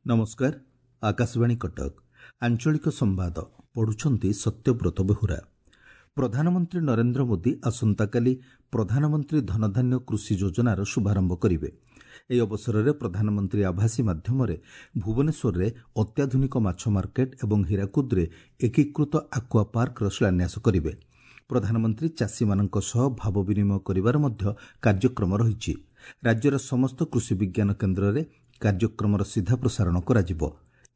ନମସ୍କାର, ଆକାଶବାଣୀ କଟକ, ଆଞ୍ଚଳିକ ସମ୍ବାଦ ପଢୁଛନ୍ତି ସତ୍ୟବ୍ରତ ବେହୁରା। ପ୍ରଧାନମନ୍ତ୍ରୀ ନରେନ୍ଦ୍ର ମୋଦି ଆସନ୍ତାକାଲି ପ୍ରଧାନମନ୍ତ୍ରୀ ଧନଧାନ୍ୟ କୃଷି ଯୋଜନାର ଶୁଭାରମ୍ଭ କରିବେ। ଏହି ଅବସରରେ ପ୍ରଧାନମନ୍ତ୍ରୀ ଆଭାସୀ ମାଧ୍ୟମରେ ଭୁବନେଶ୍ୱରରେ ଅତ୍ୟାଧୁନିକ ମାଛ ମାର୍କେଟ ଏବଂ ହୀରାକୁଦରେ ଏକୀକୃତ ଆକ୍ୱା ପାର୍କର ଶିଳାନ୍ୟାସ କରିବେ। ପ୍ରଧାନମନ୍ତ୍ରୀ ଚାଷୀମାନଙ୍କ ସହ ଭାବ ବିନିମୟ କରିବାର ମଧ୍ୟ କାର୍ଯ୍ୟକ୍ରମ ରହିଛି। ରାଜ୍ୟର ସମସ୍ତ କୃଷି ବିଜ୍ଞାନ କେନ୍ଦ୍ରରେ କାର୍ଯ୍ୟକ୍ରମର ସିଧା ପ୍ରସାରଣ କରାଯିବ।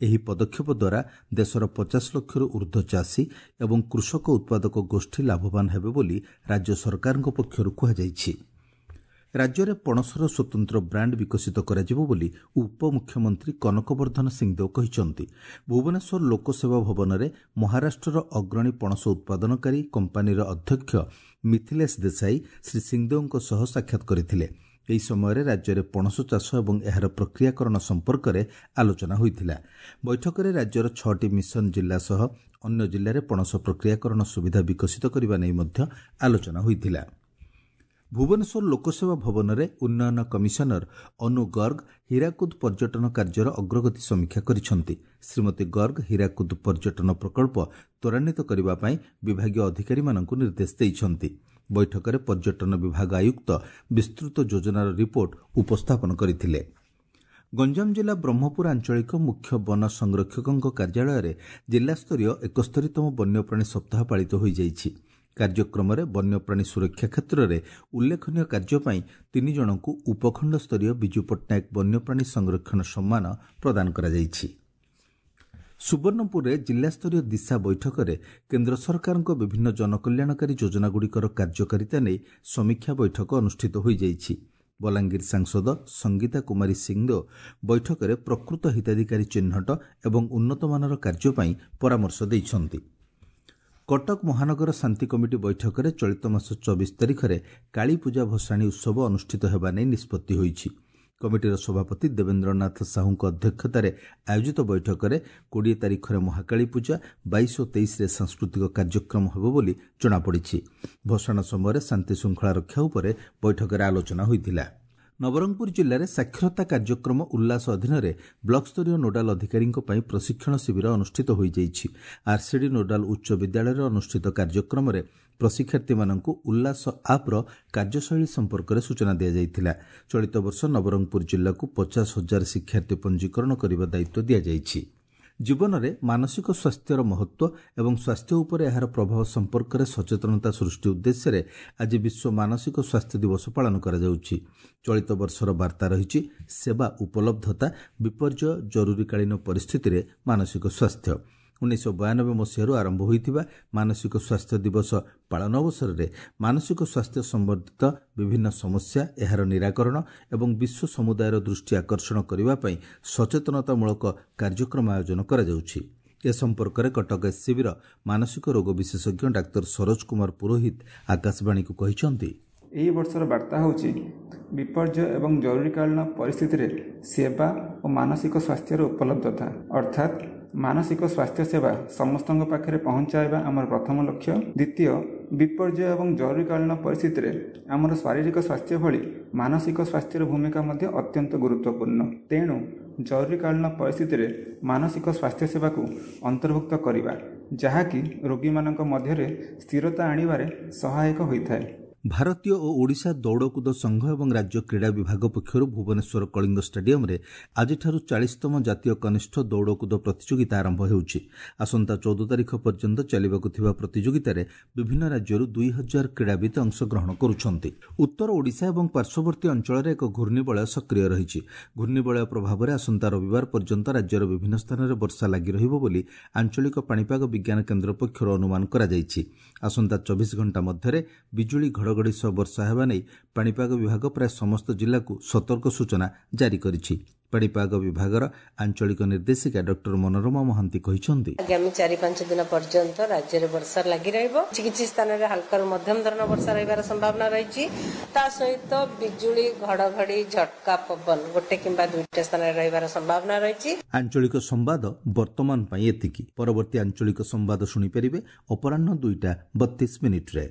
ଏହି ପଦକ୍ଷେପ ଦ୍ୱାରା ଦେଶର 50 ଲକ୍ଷରୁ ଊର୍ଦ୍ଧ୍ୱ ଚାଷୀ ଏବଂ କୃଷକ ଉତ୍ପାଦକ ଗୋଷ୍ଠୀ ଲାଭବାନ ହେବେ ବୋଲି ରାଜ୍ୟ ସରକାରଙ୍କ ପକ୍ଷରୁ କୁହାଯାଇଛି। ରାଜ୍ୟରେ ପଣସର ସ୍ୱତନ୍ତ୍ର ବ୍ରାଣ୍ଡ ବିକଶିତ କରାଯିବ ବୋଲି ଉପମୁଖ୍ୟମନ୍ତ୍ରୀ କନକବର୍ଦ୍ଧନ ସିଂଦେଓ କହିଛନ୍ତି। ଭୁବନେଶ୍ୱର ଲୋକସେବା ଭବନରେ ମହାରାଷ୍ଟ୍ରର ଅଗ୍ରଣୀ ପଣସ ଉତ୍ପାଦନକାରୀ କମ୍ପାନୀର ଅଧ୍ୟକ୍ଷ ମିଥିଲେଶ ଦେଶାଇ ଶ୍ରୀ ସିଂଦେଓଙ୍କ ସହ ସାକ୍ଷାତ କରିଥିଲେ। ଏହି ସମୟରେ ରାଜ୍ୟରେ ପଣସ ଚାଷ ଏବଂ ଏହାର ପ୍ରକ୍ରିୟାକରଣ ସମ୍ପର୍କରେ ଆଲୋଚନା ହୋଇଥିଲା। ବୈଠକରେ ରାଜ୍ୟର 6ଟି ମିଶନ ଜିଲ୍ଲା ସହ ଅନ୍ୟ ଜିଲ୍ଲାରେ ପଣସ ପ୍ରକ୍ରିୟାକରଣ ସୁବିଧା ବିକଶିତ କରିବା ନେଇ ମଧ୍ୟ ଆଲୋଚନା ହୋଇଥିଲା। ଭୁବନେଶ୍ୱର ଲୋକସେବା ଭବନରେ ଉନ୍ନୟନ କମିଶନର ଅନୁ ଗର୍ଗ ହୀରାକୁଦ ପର୍ଯ୍ୟଟନ କାର୍ଯ୍ୟର ଅଗ୍ରଗତି ସମୀକ୍ଷା କରିଛନ୍ତି। ଶ୍ରୀମତୀ ଗର୍ଗ ହୀରାକୁଦ ପର୍ଯ୍ୟଟନ ପ୍ରକଳ୍ପ ତ୍ୱରାନ୍ୱିତ କରିବା ପାଇଁ ବିଭାଗୀୟ ଅଧିକାରୀମାନଙ୍କୁ ନିର୍ଦ୍ଦେଶ ଦେଇଛନ୍ତି। ବୈଠକରେ ପର୍ଯ୍ୟଟନ ବିଭାଗ ଆୟୁକ୍ତ ବିସ୍ତୃତ ଯୋଜନାର ରିପୋର୍ଟ ଉପସ୍ଥାପନ କରିଥିଲେ। ଗଞ୍ଜାମ ଜିଲ୍ଲା ବ୍ରହ୍ମପୁର ଆଞ୍ଚଳିକ ମୁଖ୍ୟ ବନ ସଂରକ୍ଷକଙ୍କ କାର୍ଯ୍ୟାଳୟରେ ଜିଲ୍ଲାସ୍ତରୀୟ 71ତମ ବନ୍ୟପ୍ରାଣୀ ସପ୍ତାହ ପାଳିତ ହୋଇଯାଇଛି। କାର୍ଯ୍ୟକ୍ରମରେ ବନ୍ୟପ୍ରାଣୀ ସୁରକ୍ଷା କ୍ଷେତ୍ରରେ ଉଲ୍ଲେଖନୀୟ କାର୍ଯ୍ୟ ପାଇଁ 3 ଜଣଙ୍କୁ ଉପଖଣ୍ଡସ୍ତରୀୟ ବିଜୁ ପଟ୍ଟନାୟକ ବନ୍ୟପ୍ରାଣୀ ସଂରକ୍ଷଣ ସମ୍ମାନ ପ୍ରଦାନ କରାଯାଇଛି। ସୁବର୍ଣ୍ଣପୁରରେ ଜିଲ୍ଲାସ୍ତରୀୟ ଦିଶା ବୈଠକରେ କେନ୍ଦ୍ର ସରକାରଙ୍କ ବିଭିନ୍ନ ଜନକଲ୍ୟାଣକାରୀ ଯୋଜନାଗୁଡ଼ିକର କାର୍ଯ୍ୟକାରିତା ନେଇ ସମୀକ୍ଷା ବୈଠକ ଅନୁଷ୍ଠିତ ହୋଇଯାଇଛି। ବଲାଙ୍ଗୀର ସାଂସଦ ସଙ୍ଗୀତା କୁମାରୀ ସିଂଦେଓ ବୈଠକରେ ପ୍ରକୃତ ହିତାଧିକାରୀ ଚିହ୍ନଟ ଏବଂ ଉନ୍ନତମାନର କାର୍ଯ୍ୟ ପାଇଁ ପରାମର୍ଶ ଦେଇଛନ୍ତି। କଟକ ମହାନଗର ଶାନ୍ତି କମିଟି ବୈଠକରେ ଚଳିତ ମାସ 24 ତାରିଖରେ କାଳୀପୂଜା ଭସାଣୀ ଉତ୍ସବ ଅନୁଷ୍ଠିତ ହେବା ନେଇ ନିଷ୍ପତ୍ତି ହୋଇଛି। କମିଟିର ସଭାପତି ଦେବେନ୍ଦ୍ରନାଥ ସାହୁଙ୍କ ଅଧ୍ୟକ୍ଷତାରେ ଆୟୋଜିତ ବୈଠକରେ 20 ତାରିଖରେ ମହାକାଳୀ ପୂଜା, 22 ଓ 23ରେ ସାଂସ୍କୃତିକ କାର୍ଯ୍ୟକ୍ରମ ହେବ ବୋଲି ଜଣାପଡ଼ିଛି। ଭସାଣ ସମୟରେ ଶାନ୍ତିଶୃଙ୍ଖଳା ରକ୍ଷା ଉପରେ ବୈଠକରେ ଆଲୋଚନା ହୋଇଥିଲା। ନବରଙ୍ଗପୁର ଜିଲ୍ଲାରେ ସାକ୍ଷରତା କାର୍ଯ୍ୟକ୍ରମ ଉଲ୍ଲାସ ଅଧୀନରେ ବ୍ଲକସ୍ତରୀୟ ନୋଡାଲ ଅଧିକାରୀଙ୍କ ପାଇଁ ପ୍ରଶିକ୍ଷଣ ଶିବିର ଅନୁଷ୍ଠିତ ହୋଇଯାଇଛି। ଆରସିଡି ନୋଡାଲ ଉଚ୍ଚ ବିଦ୍ୟାଳୟରେ ଅନୁଷ୍ଠିତ କାର୍ଯ୍ୟକ୍ରମରେ ପ୍ରଶିକ୍ଷାର୍ଥୀମାନଙ୍କୁ ଉଲ୍ଲାସ ଆପ୍ର କାର୍ଯ୍ୟଶୈଳୀ ସମ୍ପର୍କରେ ସୂଚନା ଦିଆଯାଇଥିଲା। ଚଳିତ ବର୍ଷ ନବରଙ୍ଗପୁର ଜିଲ୍ଲାକୁ 50,000 ଶିକ୍ଷାର୍ଥୀ ପଞ୍ଜୀକରଣ କରିବା ଦାୟିତ୍ୱ ଦିଆଯାଇଛି। ଜୀବନରେ ମାନସିକ ସ୍ୱାସ୍ଥ୍ୟର ମହତ୍ତ୍ୱ ଏବଂ ସ୍ୱାସ୍ଥ୍ୟ ଉପରେ ଏହାର ପ୍ରଭାବ ସମ୍ପର୍କରେ ସଚେତନତା ସୃଷ୍ଟି ଉଦ୍ଦେଶ୍ୟରେ ଆଜି ବିଶ୍ୱ ମାନସିକ ସ୍ୱାସ୍ଥ୍ୟ ଦିବସ ପାଳନ କରାଯାଉଛି। ଚଳିତ ବର୍ଷର ବାର୍ତ୍ତା ରହିଛି ସେବା ଉପଲବ୍ଧତା, ବିପର୍ଯ୍ୟୟ, ଜରୁରୀକାଳୀନ ପରିସ୍ଥିତିରେ ମାନସିକ ସ୍ୱାସ୍ଥ୍ୟ। 1992 ମସିହାରୁ ଆରମ୍ଭ ହୋଇଥିବା ମାନସିକ ସ୍ୱାସ୍ଥ୍ୟ ଦିବସ ପାଳନ ଅବସରରେ ମାନସିକ ସ୍ୱାସ୍ଥ୍ୟ ସମ୍ବନ୍ଧିତ ବିଭିନ୍ନ ସମସ୍ୟା, ଏହାର ନିରାକରଣ ଏବଂ ବିଶ୍ୱ ସମୁଦାୟର ଦୃଷ୍ଟି ଆକର୍ଷଣ କରିବା ପାଇଁ ସଚେତନତାମୂଳକ କାର୍ଯ୍ୟକ୍ରମ ଆୟୋଜନ କରାଯାଉଛି। ଏ ସମ୍ପର୍କରେ କଟକ ଏସ୍ସିବିର ମାନସିକ ରୋଗ ବିଶେଷଜ୍ଞ ଡାକ୍ତର ସରୋଜ କୁମାର ପୁରୋହିତ ଆକାଶବାଣୀକୁ କହିଛନ୍ତି, ଏହି ବର୍ଷର ବାର୍ତ୍ତା ହେଉଛି ବିପର୍ଯ୍ୟୟ ଏବଂ ଜରୁରୀକାଳୀନ ପରିସ୍ଥିତିରେ ସେବା ଓ ମାନସିକ ସ୍ୱାସ୍ଥ୍ୟର ଉପଲବ୍ଧତା। ଅର୍ଥାତ୍ ମାନସିକ ସ୍ୱାସ୍ଥ୍ୟ ସେବା ସମସ୍ତଙ୍କ ପାଖରେ ପହଞ୍ଚାଇବା ଆମର ପ୍ରଥମ ଲକ୍ଷ୍ୟ। ଦ୍ୱିତୀୟ, ବିପର୍ଯ୍ୟୟ ଏବଂ ଜରୁରୀକାଳୀନ ପରିସ୍ଥିତିରେ ଆମର ଶାରୀରିକ ସ୍ୱାସ୍ଥ୍ୟ ଭଳି ମାନସିକ ସ୍ୱାସ୍ଥ୍ୟର ଭୂମିକା ମଧ୍ୟ ଅତ୍ୟନ୍ତ ଗୁରୁତ୍ୱପୂର୍ଣ୍ଣ। ତେଣୁ ଜରୁରୀକାଳୀନ ପରିସ୍ଥିତିରେ ମାନସିକ ସ୍ୱାସ୍ଥ୍ୟ ସେବାକୁ ଅନ୍ତର୍ଭୁକ୍ତ କରିବା, ଯାହାକି ରୋଗୀମାନଙ୍କ ମଧ୍ୟରେ ସ୍ଥିରତା ଆଣିବାରେ ସହାୟକ ହୋଇଥାଏ। ଭାରତୀୟ ଓ ଓଡ଼ିଶା ଦୌଡ଼କୁଦ ସଂଘ ଏବଂ ରାଜ୍ୟ କ୍ରୀଡ଼ା ବିଭାଗ ପକ୍ଷରୁ ଭୁବନେଶ୍ୱର କଳିଙ୍ଗ ଷ୍ଟାଡିୟମରେ ଆଜିଠାରୁ 40ତମ ଜାତୀୟ କନିଷ୍ଠ ଦୌଡ଼କୁଦ ପ୍ରତିଯୋଗିତା ଆରମ୍ଭ ହେଉଛି। ଆସନ୍ତା 14 ତାରିଖ ପର୍ଯ୍ୟନ୍ତ ଚାଲିବାକୁ ଥିବା ପ୍ରତିଯୋଗିତାରେ ବିଭିନ୍ନ ରାଜ୍ୟରୁ 2000 କ୍ରୀଡ଼ାବିତ୍ ଅଂଶଗ୍ରହଣ କରୁଛନ୍ତି। ଉତ୍ତର ଓଡ଼ିଶା ଏବଂ ପାର୍ଶ୍ୱବର୍ତ୍ତୀ ଅଞ୍ଚଳରେ ଏକ ଘୂର୍ଣ୍ଣିବଳୟ ସକ୍ରିୟ ରହିଛି। ଘୂର୍ଣ୍ଣିବଳୟ ପ୍ରଭାବରେ ଆସନ୍ତା ରବିବାର ପର୍ଯ୍ୟନ୍ତ ରାଜ୍ୟର ବିଭିନ୍ନ ସ୍ଥାନରେ ବର୍ଷା ଲାଗି ରହିବ ବୋଲି ଆଞ୍ଚଳିକ ପାଣିପାଗ ବିଜ୍ଞାନ କେନ୍ଦ୍ର ପକ୍ଷରୁ ଅନୁମାନ କରାଯାଇଛି। ଆସନ୍ତା 24 ଘଣ୍ଟା ମଧ୍ୟରେ ବିଜୁଳି ଘଡ଼ଘଡ଼ି ସହ ବର୍ଷା ହେବା ନେଇ ପାଣିପାଗ ବିଭାଗ ପ୍ରାୟ ସମସ୍ତ ଜିଲ୍ଲାକୁ ସତର୍କ ସୂଚନା ଜାରି କରିଛି। ପାଣିପାଗ ବିଭାଗର ଆଞ୍ଚଳିକ ନିର୍ଦ୍ଦେଶିକା ଡକ୍ଟର ମନୋରମା ମହାନ୍ତି କହିଛନ୍ତି, ଆଗାମୀ 4-5 ଦିନ ପର୍ଯ୍ୟନ୍ତ ରାଜ୍ୟରେ ବର୍ଷା ଲାଗି ରହିବ। କିଛି କିଛି ସ୍ଥାନରେ ହାଲକାରୁ ମଧ୍ୟମ ଧରଣର ବର୍ଷା ରହିବାର ସମ୍ଭାବନା ରହିଛି। ତା ସହିତ ବିଜୁଳି, ଘଡ଼ଘଡ଼ି, ଝଟକା ପବନ ଗୋଟେ କିମ୍ବା ଦୁଇଟା ସ୍ଥାନରେ ରହିବାର ସମ୍ଭାବନା ରହିଛି। ଆଞ୍ଚଳିକ ସମ୍ବାଦ ବର୍ତ୍ତମାନ ପାଇଁ ଏତିକି। ପରବର୍ତ୍ତୀ ଆଞ୍ଚଳିକ ସମ୍ବାଦ ଶୁଣିପାରିବେ ଅପରାହ୍ନ 2:32।